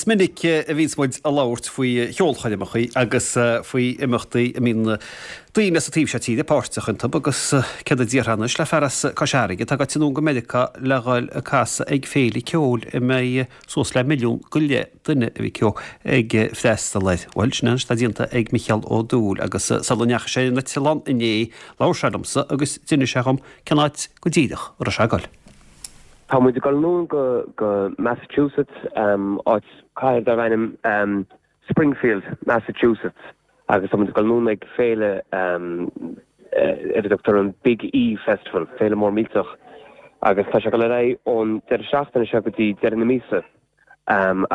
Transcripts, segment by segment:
Is minic a bhíonns muid ag labhairt faoi cheolchoirmeacha agus faoi imeachtaí a mbíonn daoine as an taobh seo tíre páirteach iontu agus céard a déarfá anois le fear as Cois Fharraige atá gaibhte anonn go Meiriceá le dhul ag casadh ag féile ceoil a mbeidh suas le milliún go leith duine, a mhic Ó, ag freastal air. Bhuel, sin é anois atá déanta ag Micheál Ó Dúill agus sula ndeachaigh sé ar an eitleán inné labhair sé liomsa agus d'inis sé dhom cén áit go díreach a raibh sé ag dul. Tá muid ag dul anonn go Massachusetts, áit, cathair darb ainm Springfield, Massachusetts agus tá muid ag dul anonn ag féile ar a dtugtar an Big E Festival, féile mór millteach agus tá sé ag dul ar aghaidh ón deireadh seachtaine seo go dtí deireadh na míosa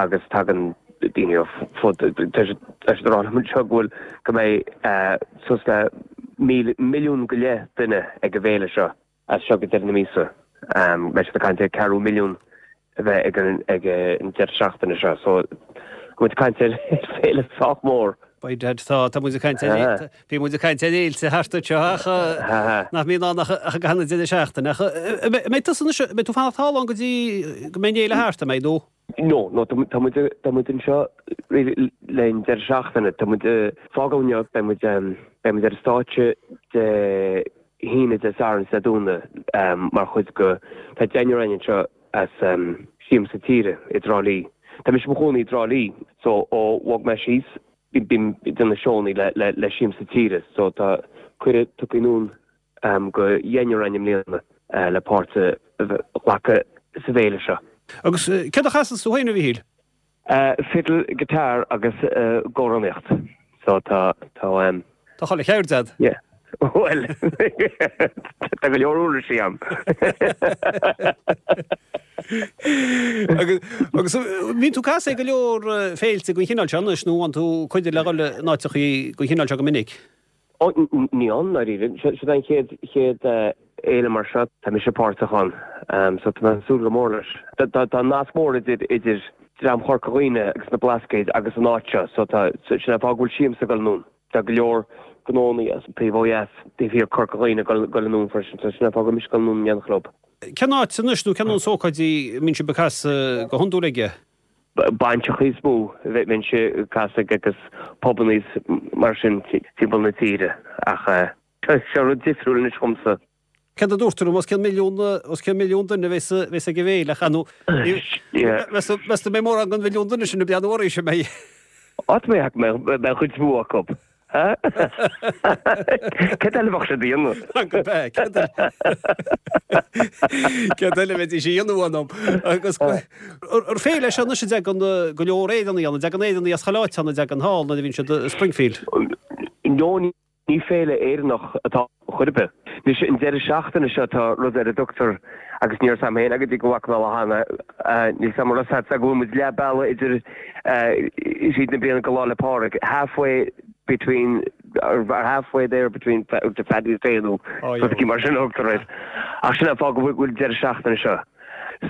agus tagann daoine ó fud, tá siad ag rá liom anseo go bhfuil, go mbeidh suas le milliún go leith duine ag an bhféile seo. As seo go deireadh na míosa, beidh siad ag caint ar ceathrú milliún a bheith ag an ag an deireadh seachtaine seo. So, tá muid ag caint ar féile sách mór. By dad, tá, tá muid ag caint ar, bhí muid ag caint ar fhéilte thart anseo ach nach mbíonn ann ach i gcaitheamh na deireadh seachtaine. Ach an mbeidh tusa anois, an mbeidh tú ag fanacht thall ann go dtí go mbeidh an fhéile thart, an mbeidh, nó? No, no, tá muid, tá muid anseo le an deireadh seachtaine. Tá muid ag fágáil inniu, beidh muid, beidh muid ar an stáitse Dé hAoine, Dé Sathairn is Dé Domhnaigh mar chuid go, tá deichniúr againn anseo as Siamsa Tíre i dTrá Lí. Tá mise i mo chónaí i dTrá Lí, so ó bhog mé síos, bím ag déanamh seónna le, le, le Siamsa Tíre, so tá cuireadh tugtha anonn go dheichniúr againn i mbliana le páirt a ghlacadh sa bhféile seo. Agus céard a chasanns tú féin, a Mhichíl? Fiddle, guitar agus amhránaíocht. So tá, tá. Tá chuile cheird a'd. Yeah. Bhuel, tá go leor uirlisí a'm. Agus, agus bíonn tú ag casadh ag go leor féilte den chineál seo anois nó an tú cuireadh le dhul in áiteachaí den chineál seo go minic? Ó, ní i ndáiríre. Seo an chéad, chéad fhéile mar seo. Tá mise páirteach ann, so tá mé ag súil go mór leis. Tá nasc mór idir, idir dream Chorca Dhuibhne agus na Blascaoid agus an áit seo, so tá, sin an fáth go bhfuil Siamsa ag dul anonn. Tá go leor gnónnaí as an taobh ó dheas, taobh thiar Corca Dhuibhne ag dul anonn freisin, so sin an fáth go bhfuil mise ag dul anonn in éineacht leo. Cén áit anois nó cén nós ócáidí a mbíonn sibh ag casadh go hiondúil aige? Bainseachaí is mó a bhímse ag casadh agus pubannaí mar sin timpeall na tíre ach seo rud difriúil anois dhomsa. Céard a dúirt tú liom, os cionn milliún, os cionn milliún duine a bheas, a bheas ag an bhféile ach nó meas tú, meas tú an mbeidh mórán den mhilliún duine sin ag breathnú oraibhse, an mbeidh? Á tá mé ag ceapadh go mbeidh cuid mhór acu. Céard eile a bheadh siad a dhéanamh? Gurb ea, céard eile? Céard eile a bheidís a dhéanamh ann? Agus ar féile é seo anois a dtagann go leor Éireannaigh ann, an dtagann Éireannaigh as chuile áit ann, an dtagann thall nuair a bhíonn siad i Springfield? No, ní féile Éireannach atá chor ar bith. Anois, an deireadh seachtaine seo tá rud ar a dtugtar, agus ní raibh 's a'm féin go dtí go bhfaca mé lá cheana, níl 's a'm an raibh 's a'd go bhfuil muid leath bealaigh idir thríd na bliana go Lá 'le Pádraig, halfway between, or halfway there between the Paddy's Day nó rud éigin mar sin a thugtar air. Ach sin an fáth go bhfuil deireadh seachtaine seo.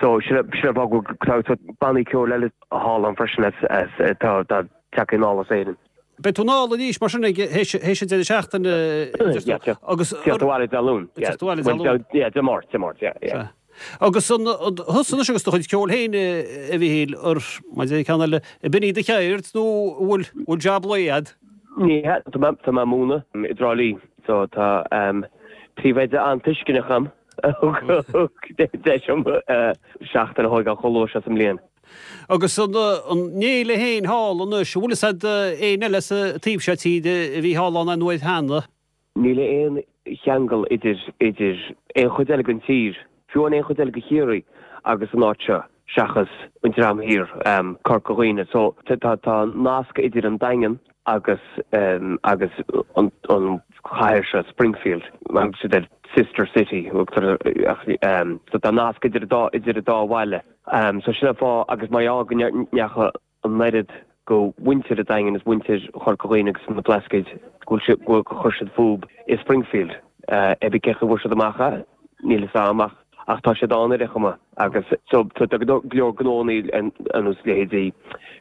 So sin an fáth go bhfuil tá bannaí ceoil eile thall ann freisin as atá tagtha anall as Éirinn. Beidh tú anall arís mar sin ag théis an deireadh seachtaine agus Teacht abhaile Dé Luain. Teacht abhaile Dé Luain. Yeah, Dé Máirt, Dé Máirt, yeah, yeah. Agus an thusa anois agus do chuid ceoil féin a Mhichíl, ar, mar a deir ceann eile, ab in í do cheird nó an bhfuil bhfuil jab lae a'd? Ní hea, tá mé tá mé ag múineadh i dTrá Lí so tá príomhoide an-tuisceanach a'm a thug deis dom seachtain a thóigeáil chomh luath seo sa mbliain. Agus an fhéile féin thall anois, an bhfuil fhios a'd éinne eile sa taobh seo tíre a bhí thall ann aon uair cheana? Níl aon cheangal idir idir aon chuid eile den tír, fiú amháin aon chuid eile de Chiarraí agus an áit seo, seachas an dream thiar, Corca Dhuibhne. So tá tá nasc idir an Daingean agus agus an an chathair seo, Springfield, mar thug siad air sister city, thugtar ach so tá nasc idir an dá idir an dá bhaile. So sin an fáth agus mar gheall go ndeachaigh an oiread go mhuintir an Daingin is muintir Chorca Dhuibhne agus na Blascaoid go bhfuil siad go chuir siad fúb i Springfield. Cibé cén chaoi a bhfuair siad amach é, níl fhios a'm ach ach tá siad ann ar aon chuma agus so tá go leor gnónnaí ar nós leithéidí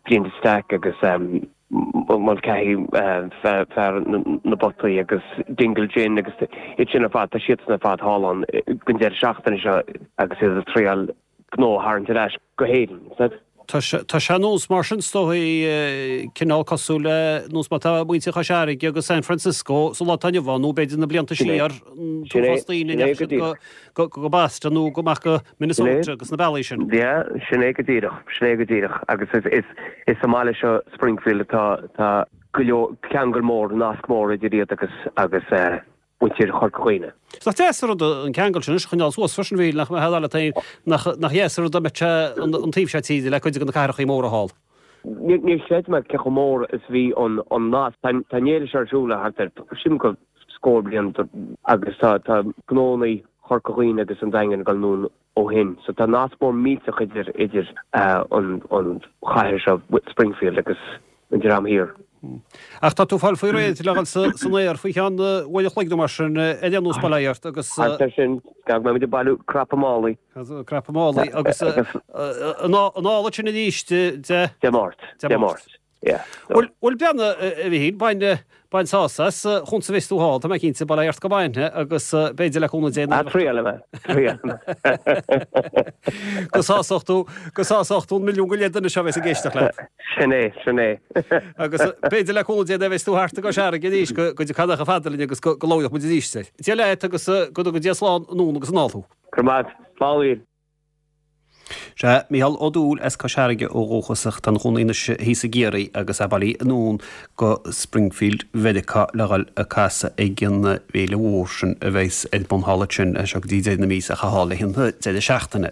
Brian de Staic agus Mulcahy, fear na bpotaí agus Dingle Gin agus iad sin ar fad, tá siadsan ar fad thall ann don deireadh seachtaine seo agus iad ag triáil gnó a tharraingt ar ais go hÉirinn. Tá sé ar nós mar sin, is dóigh, cineál cosúil le nós mar atá muintir Chois Fharraige agus San Francisco sa lá atá inniu ann, nó b'fhéidir na blianta siar, an t-uafás daoine a ndeachaigh siad go Boston nó go amach go Minnesota agus na bealaí sin. Yeah, sin é go díreach, sin é go díreach. Agus is sa mbaile seo, Springfield, atá go leor ceangal mór, nasc mór idir iad agus agus muintir Chorca Dhuibhne. Is nach deas an rud an ceangal sin anois a choinneáil suas freisin, a Mhíchíl, nach mbeadh leat féin nach dheas an rud dá mbeadh sé an taobh seo tíre le cuid de na cathrachaí móra thall. Níor chreid mé cé chomh mór is a bhí an nasc. Tá an fhéile seo ar siúl le thart ar, sílim go scór bliain agus tá gnónnaí Chorca Dhuibhne agus an Daingin ag dul anonn ó shin. So tá nasc mór millteach idir idir an an chathair seo, Springfield, agus an Dream Thiar. Ach tá tú ag fáil faoi réir le dhul san aer faoi cheann uair a chloig nó mar sin ar aon nós, bail ó Dhia ort agus. Thart ar sin, beidh muid ag bailiú cnaipe málaí. Cnaipe málaí agus anall ansin arís Dé. Dé Máirt. Dé Máirt. Yeah. Bhuel, bhuel breathnaigh, a Mhichíl, bain, bain sásamh as, chúns a bheas tú thall, tá mé cinnte, bail ó Dhia ort go mbainfidh agus b'fhéidir le cúnamh Dé Ah, triailfidh mé, triailfidh mé. Go sásódh tú, go sásódh tú an milliún go leith duine seo a bheas ag éisteacht leat. Sin é, sin é. Agus b'fhéidir le cúnamh Dé nuair a bheas tú thart i gCois Fharraige arís go, go dtiocfá chomh fada linn agus go, go labhróidh muid arís. Dia leat agus go dtuga Dia slán anonn agus anall thú. Go raibh maith agat. Slán a Mhíchíl. Sea, Mícheál Ó Dúill as Cois Fharraige ó dhúchas ach tá ina chónaí anois thíos i gCiarraí agus é bailithe anonn go Springfield Mheiriceá le dhul ag casadh ag an bhféile mhór sin a bheas ar bun thall ansin as seo go dtí deireadh na míosa ach thall le haghaidh an deireadh seachtaine.